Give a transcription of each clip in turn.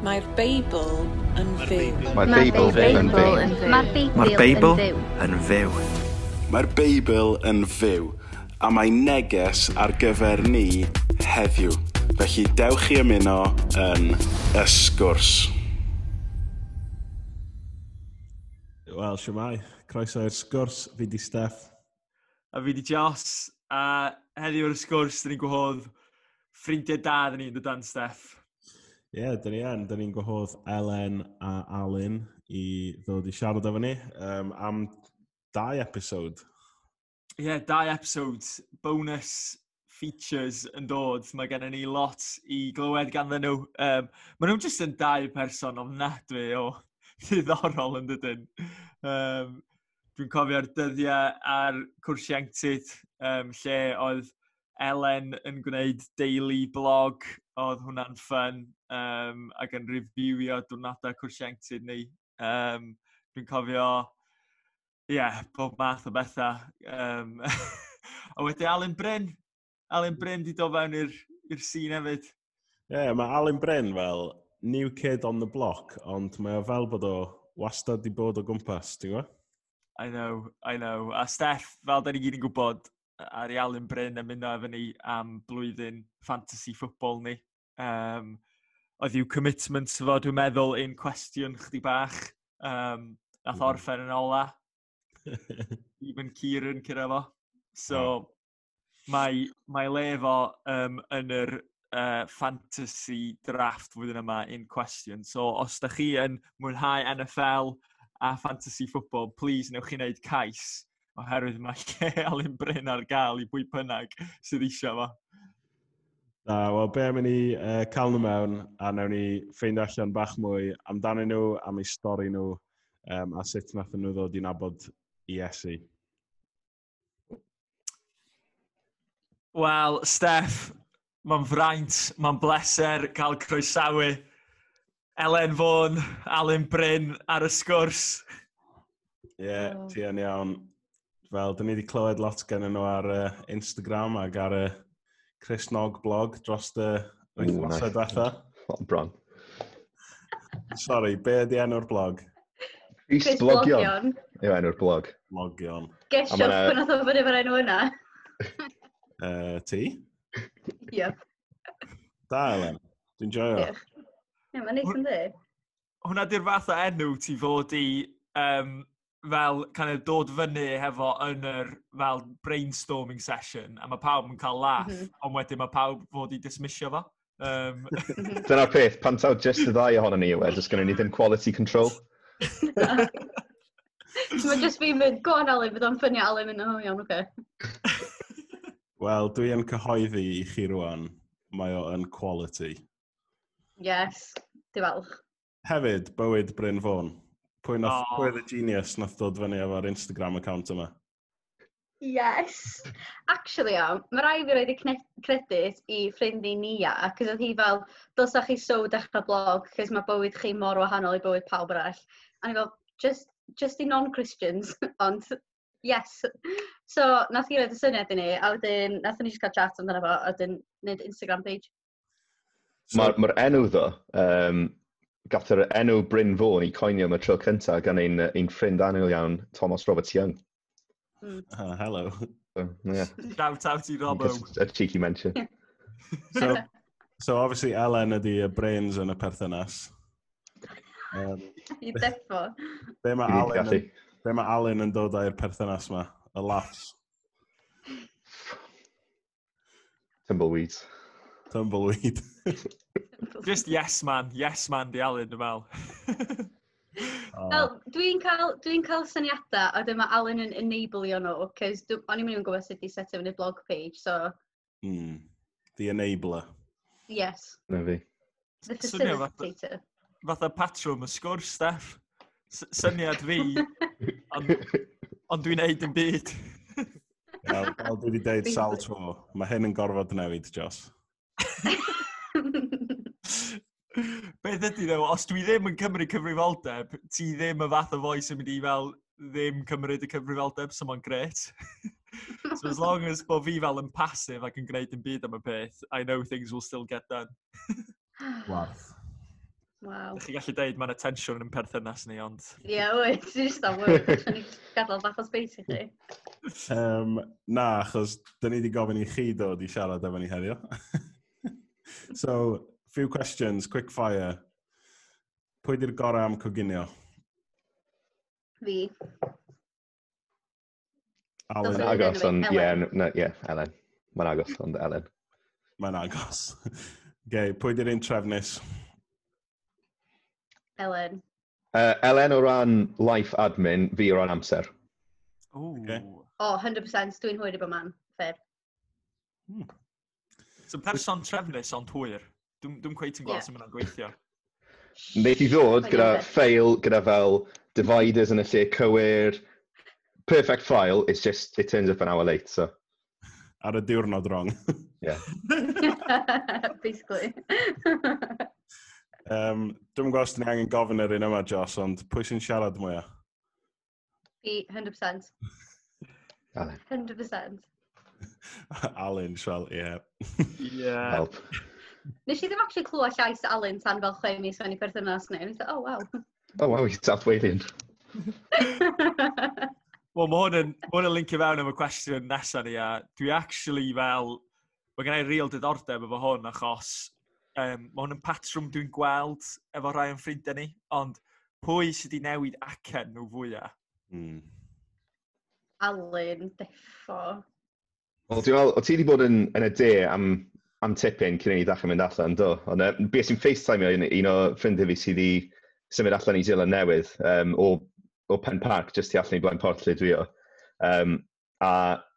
Mae'r Beibl yn fyw. Mae'r Beibl yn fyw. Mae'r Beibl Mae'r Beibl yn fyw. yn fyw. Mae'r Beibl yn fyw, a mae neges ar gyfer ni heddiw. Felly dewch i ymuno yn y sgwrs. Wel, siwmai. Croeso i'r sgwrs. Fi di Steff. A fi di Joss, a heddiw ar y sgwrs, dyn ni'n gwahodd ffrindiau da dyn ni'n dod dan Steff. Ie, yeah, dyn ni yn. Dyn ni'n gwahodd Elen a Alun i ddod i siarad efo ni am dau episod. Ie, yeah, dau episod, bonus features yn dod. Mae gennym ni lot i glywed ganddyn nhw. Maen nhw'n jyst yn dau person ofnadwy o ddiddorol yn dydyn. Dwi'n cofio'r dyddiau ar cwrs ieuenctid, lle oedd Elen yn gwneud daily blog, oedd hwnna'n fun, ac yn reviewio diwrnodau cwrs ieuenctid ni. Dwi'n cofio, ie, yeah, bob math o bethau. A wedyn Alun Bryn. Alun Bryn di dod fewn i'r scene hefyd. Ie, yeah, mae Alun Bryn fel new kid on the block, ond mae o fel bod o wastad di bod o gwmpas, ti'n gwybod? I know, I know. A Steff, fel da ni gyd yn gwybod, ar i Alun Bryn ymuno efo ni am blwyddyn fantasy football ni. Oedd i'w commitment fo, dwi'n meddwl, in question chdi bach. Nath orffen yn ola. Even Kieran curo fo. So, mae le fo yn yr fantasy draft flwyddyn yma in question. So, os da chi yn mwynhau NFL a fantasy football, please newch chi wneud cais, oherwydd mae lle Alun Bryn ar gael i bwy bynnag sydd eisiau fo. Na, wel, be am i ni cael nhw mewn, a nawn ni ffeindio allan bach mwy amdanyn nhw, am eu stori nhw, a sut nath nhw ddod i nabod Iesu. Wel, Steff, mae'n fraint, mae'n bleser cael croesawu Elen Fôn, Alun Bryn ar y sgwrs. Ie, yeah, Oh. ti yn iawn. Fel, dyn ni wedi clywed lot gen nhw ar Instagram ac ar y Cristnog blog dros y wythnosau nice. diwetha. Oh, bron. Sorry, be ydi enw'r blog? Chris Chris Blogion Blogion. yw enw'r blog. Blogion. Gesiwch A ma' 'na- pwy nath o fyny efo'r enw yna. Ti? Yep. Da, Elen. Dwi'n joio. Diolch. Ie, mae'n neis yndi? Hwna di'r fath o enw ti fod i fel kind of dod fyny hefo yn yr fel brainstorming session, a mae pawb yn cael laugh, ond wedyn mae pawb fod i dismissio fo. Dyna'r peth, pan taw just y ddau ohonon ni yw e, does gynnon ni ddim quality control. Mae just fi'n mynd, go on Alun, bydd o'n ffynnu Alun mynd, oh iawn, oce. Wel, dwi yn cyhoeddi i chi rwan, mae o yn quality. Yes, di falch. Hefyd, bywyd Bryn Fôn. Pwy, nath, Oh. pwy oedd y genius nath dod fyny efo'r Instagram account yma? Yes. Actually, iawn, mae rai fi roed y credit i ffrind i Nia, cos oedd hi fel, dylsa chi so dechrau blog, cos mae bywyd chi mor wahanol i bywyd pawb arall. A ni fel, just i non-Christians, ond yes. So, nath hi roed y syniad i ni, a wedyn, nath ni just cael chat amdano fo, a wedyn wneud Instagram page. So, Mae'r ma enw ddo, gath yr enw Bryn Fôn i coinio am y tro cyntaf gan ein ffrind annwyl iawn, Thomas Roberts Young. Hello. So, yeah. Shout out i Robbo. Just a cheeky mention. So obviously Elen ydi y brains yn y perthynas. I defo. Be mae Dwi 'di Alun gallu. yn, be mae Alun yn dod â'r perthynas ma? Y laughs. Tumbleweeds. Tumbleweed. Just yes man, yes man di Alun, dwi'n meddwl. Oh. Wel, dwi'n cael syniadau, a dyma Alun yn enableio nhw, cos o'n i'm yn even gwybod sut i setio fyny blog page, so The enabler. yes, Na fi. the Swnio fatha- facilitator. Fatha patrwm y sgwrs, Steff. Syniad fi, ond dwi'n neud yn byd. Wel, fel dwi wedi deud sawl tro, mae hyn yn gorfod newid, Joss. Beth ydy ddo, os dwi ddim yn cymryd cyfrifoldeb, ti ddim y fath o foi sy'n mynd i fel ddim cymryd y cyfrifoldeb, so mae'n gret. So as long as bo fi fel yn passive ac yn gwneud yn byd am y peth, I know things will still get done. Warth. Wow. Ydych chi gallu deud mae'n tensiwn yn perthynas ni, ond. Ie, yeah, wyt, ti'n just am wyt. Allan ni gadael bach o space i chi. Na, achos dyn ni wedi gofyn i chi dod i siarad efo ni heddiw. So, few questions, quick fire. Pwy di'r gorau am coginio? Fi. Alan. Mae'n agos, ond ie, yeah, Elen. Mae'n agos, ond Elen. Mae'n agos. Okay, pwy di'r un trefnus? Elen. Elen o ran life admin, fi o ran amser. Ooh. Okay. Oh, 100%, dwi'n hwyr i bod man. Fair. So person trefnus ond hwyr. Dwi'n cweit yn gweld sut mae'n gweithio. Wneith i ddod gyda ffeil, gyda fel dividers yn y lle cywir. Perfect file, it's just, it turns up an hour late, so. Ar y diwrnod wrong. Yeah. Basically. Dwi'm yn gwybod os dyn ni angen gofyn yr un yma, Joss, ond pwy sy'n siarad mwyaf? Fi, 100%. Alun. 100%. Alun, fel, ie. Yeah. Yeah. Help. Nes i ddim actually clywed llais Alun tan fel 6 mis mewn i perthynas ni. Nes i, oh, wow. Oh, wow, he's South Walian. Wel, mae hwn yn lincio fewn am y cwestiwn nesaf ni, a dwi actually fel, mae gen i real diddordeb efo hwn, achos mae hwn yn patrwm dwi'n gweld efo rhai o'n ffrindiau ni, ond pwy sydd wedi newid acen nhw fwyaf? Alun, defo. Wel, dwi'n meddwl, o ti wedi bod yn y de am tipyn cyn i ni ddechrau mynd allan, do? Ond bues i'n FaceTime un o ffrindiau fi sydd wedi symud allan i Zealand Newydd, o Pen Park, jyst tu allan i Blaen Porth lle dwi o. A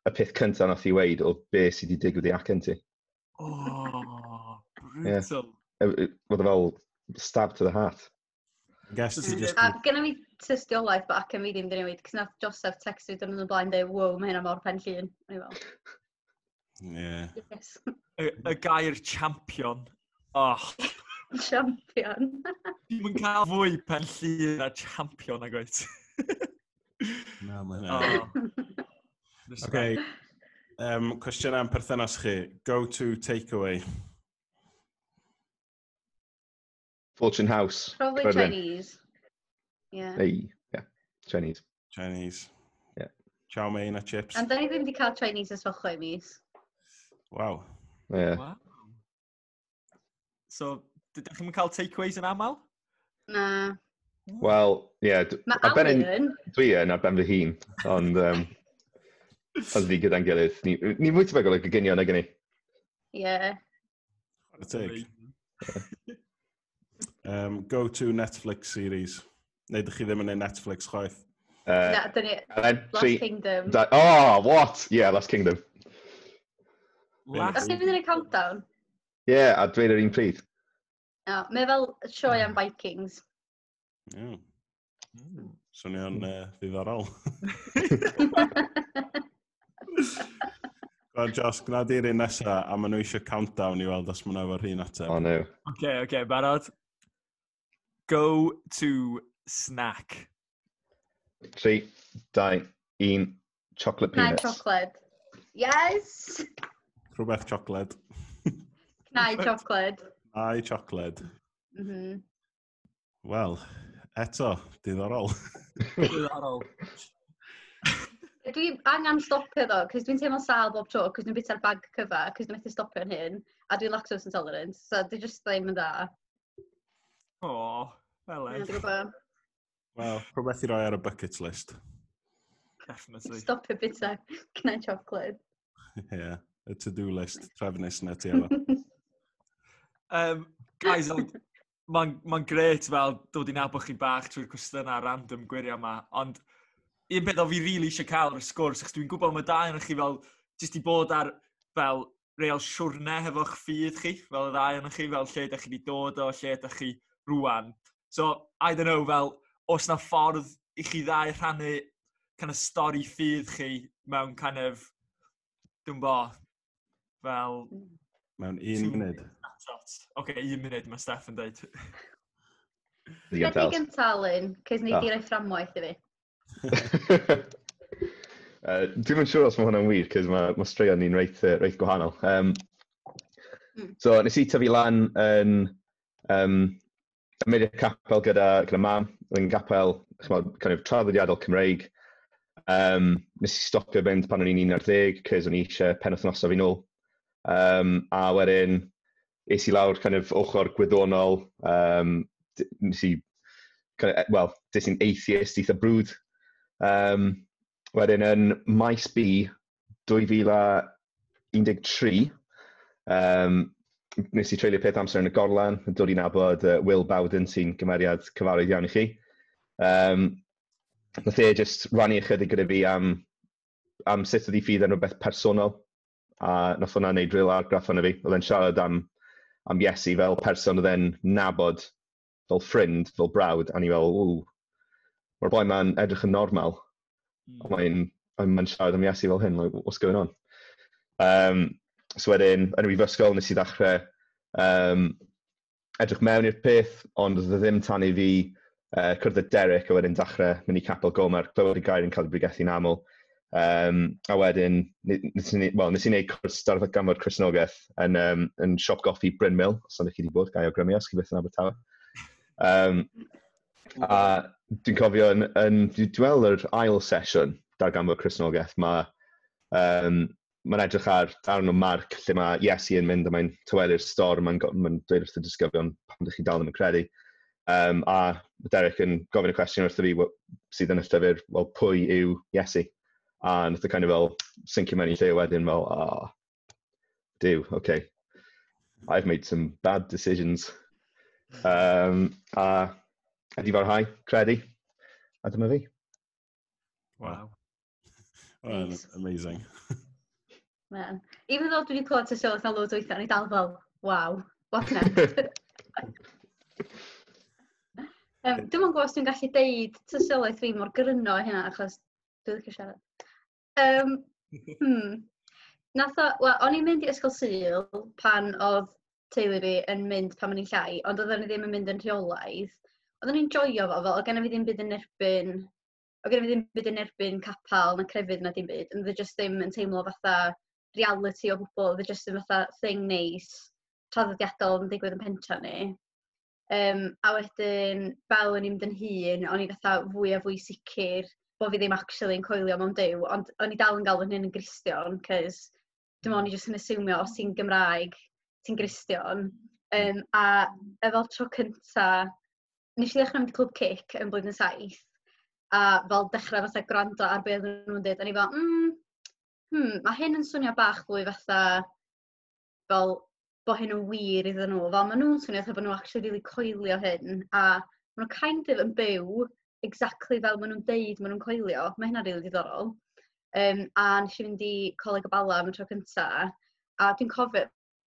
y peth cyntaf nath i weud oedd be sydd wedi digwydd i acen ti. Oh, brutal. Yeah. Oedd e fel stab to the heart. Guess ti just. A genna fi tystiolaeth bod acen fi ddim wedi newid, cos nath Joseph text fi dwrnod yn blaen dweud, wow, mae hynna mor Pen Llŷn. O'n i fel, Yeah. yes, Y gair champion. Oh, champion. Dwi'n yn cael fwy Pen Llŷn a champion ag oed. Na, mae hynna. Oh. Okay. Cwestiwn am perthynas chi. Go to takeaway. Fortune House. Probably Caerfyrddin. Chinese. Yeah. Hey, yeah, Chinese. Chinese. Yeah. Chow mein a chips. And da ni ddim wedi cael Chinese ers fel 6 mis. Wow. Yeah. Wow. So, dydych chi'n cael takeaways yn aml? Na. Wel, yeah. Mae Ar ben Alun, Dwi yn ar ben fy hun, ond ond fi gyda'n gilydd. Ni fwy tebygol o goginio nag ni. Yeah. Chwarae teg. Go to Netflix series. Neu dych chi ddim yn ei Netflix chwaith? Na, dyn ni, Elen, Last tri, Kingdom. dau. Oh, what? Yeah, Last Kingdom. Last. Os ni'n mynd yn y countdown? Yeah, a dweud yr un pryd. No, mae fel sioe am Vikings. Yeah. Swnio'n ddiddorol. Go on, Joss, gwna di'r un nesa, a maen nhw eisiau countdown i weld os maen nhw efo'r un ateb. Oh, no. Okay, barod. Go to snack. 3, 2, 1, chocolate Cnau peanuts. chocolate. Yes! Rhywbeth chocolate. Cnau chocolate. Cnau chocolate. Wel, eto, diddorol. Diddorol. Dwi angen stopio ddo, cos dwi'n teimlo sâl bob tro, cos dwi'n bita'r bag cyfa, cos dwi'n methu stopio yn hyn, a dwi'n lactose intolerant, so dwi just ddim yn dda. O, fel Ie, e. Dwi'n gwybod. Wel, rhywbeth i roi ar y bucket list. Definitely. Stopio bita cnau chocolate. Ie, yeah, y to-do list trefnus na ti efo. Guys, mae'n grêt fel dod i nabod chi bach trwy'r cwestiynau random gwirio yma, ond un peth o fi really eisiau cael ar y sgwrs, achos dwi'n gwybod mae dau yn chi fel, jyst i bod ar fel real siwrne hefo'ch ffydd chi, fel y ddau yn chi, fel lle ydych chi wedi dod o, lle ydych chi rwan. So, I don't know, fel, oes na ffordd i chi ddau rhannu kind of stori ffydd chi mewn kind of, dwi'n bo, fel Mewn un munud. Snapshot. Oce, okay, un munud mae Steph yn dweud. Digon Be tel. di gynta, Alun? Cos nei Ah. di roi fframwaith i fi. Dwi'm yn siŵr os mae hwnna'n wir, cos mae straeon ni'n reit gwahanol. So, nes i tyfu lan yn Yn mynd i'r capel gyda mam, oedd yn gapel, ch'mod, kind of traddodiadol Cymreig. Nes i stopio fynd pan o'n i'n 11, cos o'n i eisiau penwythnosau fi nôl. A wedyn, es i lawr kind of ochr gwyddonol, nes i, kind of, well, des i'n atheist eitha brwd. Wedyn yn Maes B 2013, nes i treulio peth amser yn y Gorlan, yn dod i nabod Will Bowden, sy'n gymeriad cyfarwydd iawn i chi. Nath e just rannu ychydig gyda fi am sut oedd ei ffydd yn rhywbeth personol, a nath hwnna wneud real argraff arno fi. Oedd e'n siarad am Iesu fel person oedd e'n nabod fel ffrind, fel brawd, a ni fel, "Ww, mae'r boi ma'n edrych yn normal." Mae'n siarad am Iesu fel hyn, like, what's going on? So wedyn, yn y brifysgol, nes i ddechrau edrych mewn i'r peth, ond oedd e ddim tan i fi cwrdd â Derek a wedyn dechrau mynd i Capel Gomer, clywed y gair yn cael ei bregethu'n aml. A wedyn, well, nes i wneud cwrs darganfod Cristnogaeth yn siop goffi Brynmill, os ydych chi wedi bod, gai awgrymu os chi byth yn Abertawe. A dwi'n cofio dwi'n weld yr ail sesiwn darganfod Cristnogaeth, mae'n edrych ar darn o Marc lle mae Iesu yn mynd a mae'n tawelu'r storm, mae'n dweud wrth y disgyblion, "Pam ydych chi dal ddim yn credu?" A Derek yn gofyn y cwestiwn wrtho fi sydd yn y llyfr, "Wel, pwy yw Iesu?" A nath o kind of fel sincio mewn i lle wedyn fel, "Ah, Duw, okay. I've made some bad decisions." A ydi farhau, credu. A dyma fi. Wow. Well, Nice. amazing. Man. Even though dwi wedi clywed tystiolaeth na loads o weithiau, o'n i dal fel, "Wow, what next?" Dwi'm yn gwybod os dwi'n gallu deud tystiolaeth fi mor gryno hynna, achos dwi'n licio siarad. Nath o, wel, o'n i'n mynd i ysgol Sul pan oedd teulu fi yn mynd pan o'n i'n llai, ond oedden ni ddim yn mynd yn rheolaidd. Oedden ni'n joio fo, fel, oedd genna fi ddim byd yn erbyn capel na crefydd na dim byd, ond oedd e just ddim yn teimlo fatha reality o gwbl, oedd e just yn fatha thing neis, traddodiadol yn digwydd yn pentra ni. A wedyn, fel o'n i'n mynd yn hŷn, o'n i fatha fwy a fwy sicr bod fi ddim actually yn coelio mewn Duw, ond o'n i dal yn galw hyn yn Gristion, cos dwi'n meddwl o'n i jyst yn asumio os ti'n Gymraeg, ti'n Gristion. A efo tro cynta, nes i ddechrau mynd i Clwb Cic yn blwyddyn 7, a fel dechrau fatha gwrando ar beth oedden nhw'n dweud, a ni fel, mae hyn yn swnio bach fwy fatha fel bod hyn yn wir iddyn nhw. Fel maen nhw'n swnio fatha bod nhw actually really coelio hyn, a maen nhw kind of yn byw exactly fel maen nhw'n deud maen nhw'n coelio. Mae hynna'n really diddorol. A nes i fynd i Coleg y Bala am y tro cynta, a dwi'n cofio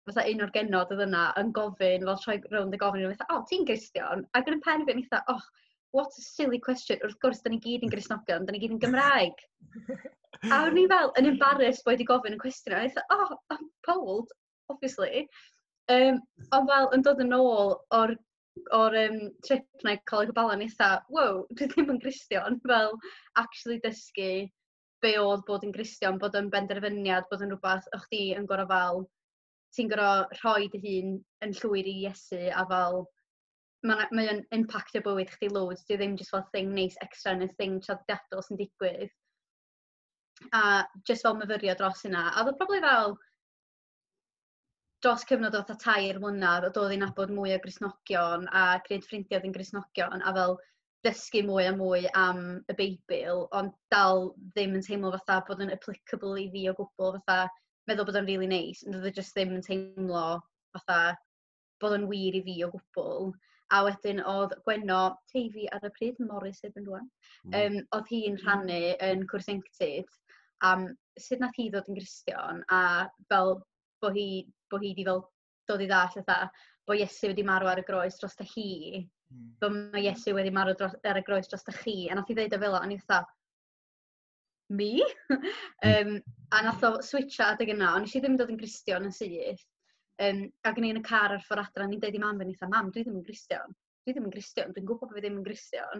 fatha un o'r genod oedd yna yn gofyn, fel troi rownd y gofyn, fatha, "Oh, ti'n Gristion?" Ac yn y pen fi, o'n i fatha, "Oh, what a silly question. Wrth gwrs, da ni gyd yn Gristnogion, da ni gyd yn Gymraeg." A o'n i fel yn embarrassed bod wedi gofyn y cwestiwn. A o'n i fatha, "Oh, I'm told, obviously." Ond fel yn dod yn ôl o'r trip na i Coleg y Bala, o'n i fatha, "Wow, dwi ddim yn Gristion." Fel, actually dysgu be oedd bod yn Gristion, bod yn benderfyniad, bod yn rhywbeth o'ch chdi yn gorau fel, ti'n gorau rhoi dy hun yn llwyr i Iesu a fel, mae o'n impactio bywyd chdi loads, di ddim just fel thing neis extra neu thing traddodiadol sy'n digwydd. A just fel myfyrio dros hynna. A oedd o probably fel dros cyfnod o fatha 3 mlynedd o dod i nabod mwy o Gristnogion a gwneud ffrindiau oedd yn Gristnogion a fel dysgu mwy a mwy am y Beibl, ond dal ddim yn teimlo fatha bod yn applicable i fi o gwbl, fatha meddwl bod o'n really nice, ond oedd e just ddim yn teimlo fatha bod o'n wir i fi o gwbl. A wedyn oedd Gwenno Teifi ar y pryd, Morris erbyn rwan, oedd hi'n rhannu yn cwrs ieuenctid am sut nath hi ddod yn Gristion a fel bod hi di fel dod i ddall fatha bod Iesu wedi marw ar y groes dros hi, bod mae Iesu wedi marw ar y groes dros chi, a nath hi ddeud o fel 'a, o'n i fatha, "Me?" A nath o switcho adeg yna, ond nes i ddim dod yn Gristion yn syth. Ac o'n i yn y car ar ffordd adra, o'n i'n deud i mam fi, o'n i fatha, "Mam, dwi ddim yn Gristion. Dwi ddim yn Gristion, dwi'n gwybod bod fi ddim yn Gristion."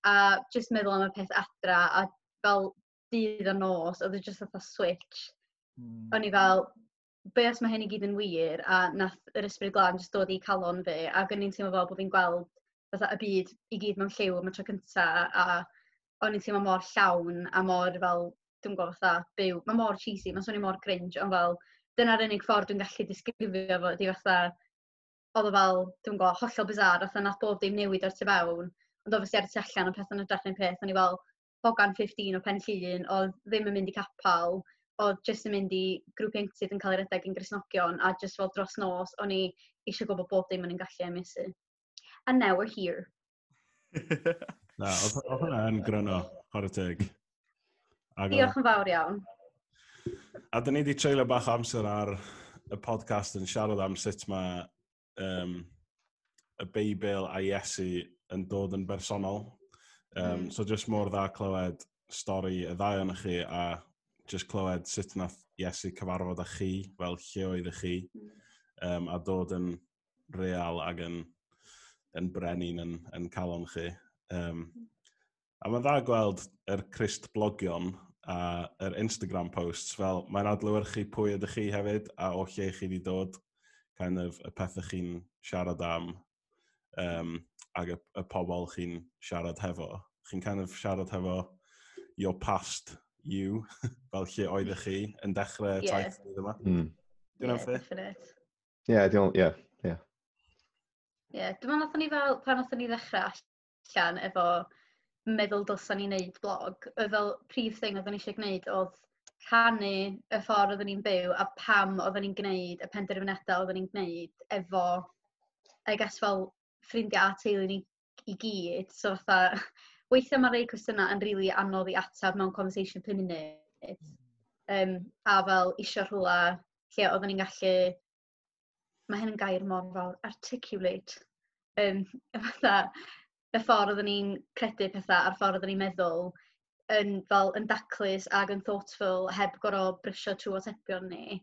A just meddwl am y peth adra, a fel dydd a nos, oedd e just fatha switch. O'n i fel, be os mae hyn i gyd yn wir? A nath yr Ysbryd Glân just dod i calon fi, ac o'n i'n teimlo fel bod fi'n gweld fatha y byd i gyd mewn lliw am y tro cynta, a o'n i'n teimlo mor llawn a mor fel, dwi'n gwybod fatha, byw. Mae mor cheesy, mae'n swnio mor cringe, ond fel, dyna'r unig ffordd dwi'n gallu disgrifio fo, ydi fatha, oedd o fel, dwi'n gwybod, hollol bizarre, fatha nath bob dim newid o'r tu fewn, ond obviously ar y tu allan o pethau'n edrych un peth, o'n i fel hogan 15 o Pen Llŷn, oedd ddim yn mynd i capel, oedd jyst yn mynd i grŵp ieuenctid yn cael ei redeg yn Gristnogion, a jyst fel dros nos, o'n i eisiau gwybod bob dim o'n i'n gallu am Iesu. And now we're here. Na, oedd hwnna yn gryno, chwarae teg. Diolch yn fawr iawn. A dyn ni wedi treulio bach o amser ar y podcast yn siarad am sut mae y Beibl a Iesu yn dod yn bersonol. So just mor dda clywed stori y ddau ohonoch chi a just clywed sut nath Iesu cyfarfod â chi, fel lle oeddech chi, a dod yn real ac yn brenin yn calon chi. A mae'n dda gweld yr Crist blogion a yr Instagram posts, fel mae'n adlewyrchu pwy ydych chi hefyd a o lle chi wedi dod, kind of y pethau chi'n siarad am ac y pobl chi'n siarad hefo. Chi'n kind of siarad hefo your past you, fel lle oeddech chi yn dechrau taith yma. Dwi'n Yeah, definite. Yeah, dwi'n, yeah. Yeah, dwi'n meddwl nathon ni fel, pan nathon ni ddechrau allan efo meddwl dylsan ni wneud blog, oedd fel prif thing oedden ni eisiau gwneud oedd rhannu y ffordd oedden ni'n byw a pam oedden ni'n gwneud y penderfyniadau oedden ni'n gwneud efo, I guess, fel ffrindiau a teulu ni i gyd. So fatha, weithiau mae rei cwestiynau yn rili really anodd i ateb mewn conversation 5 munud. A fel isio rhywle lle oedden ni'n gallu, mae hyn yn gair mor fawr, articulate. Fatha, y ffordd oedden ni'n credu pethau a'r ffordd oedden ni'n meddwl yn, fel, yn daclus ac yn thoughtful heb gorfod brysio trwy atebion ni.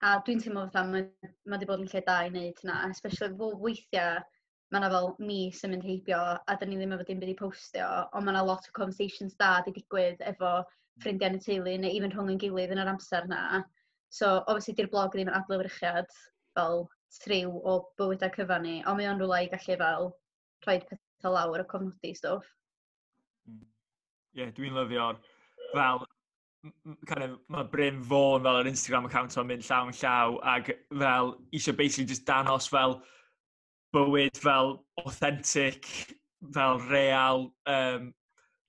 A dwi'n teimlo fatha mae 'di bod yn lle da i wneud hynna, especially weithiau mae yna fel mis yn mynd heibio a dyn ni ddim efo dim byd i postio, ond mae yna lot o conversations da di digwydd efo ffrindiau yn y teulu neu even rhwng yn gilydd yn yr amser na. So, obviously, di'r blog ddim yn adlewyrchiad fel true o bywydau cyfan ni, ond mae o'n rhywle i gallu fel rhoi pethau lawr a cofnodi stwff. Ie, yeah, dwi'n lyfio'r fel, kind of, mae Bryn Fôn fel yr Instagram account o'n mynd llaw yn llaw ac fel eisiau basically just danos fel bywyd fel authentic, fel real,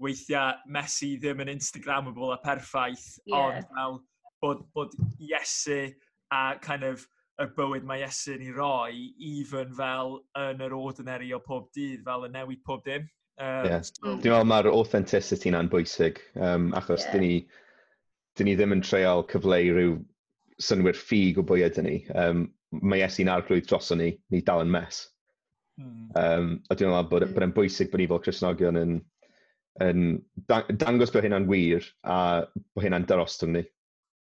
weithiau messy, ddim yn Instagrammable a perffaith, ond fel bod Iesu a kind of y bywyd mae Iesu'n ei roi, even fel yn yr ordinary o pob dydd, fel yn newid pob dim. So, Dwi'n meddwl mae'r authenticity na'n bwysig, achos dyn ni ddim yn treial cyfleu rhyw synwyr ffug o bwy ydyn ni. Mae Iesu'n arglwydd droson ni, ni dal yn mess. A dwi'n meddwl bod e'n bwysig bod ni fel Cristnogion yn dangos bod hynna'n wir a bod hynna'n darostwng ni.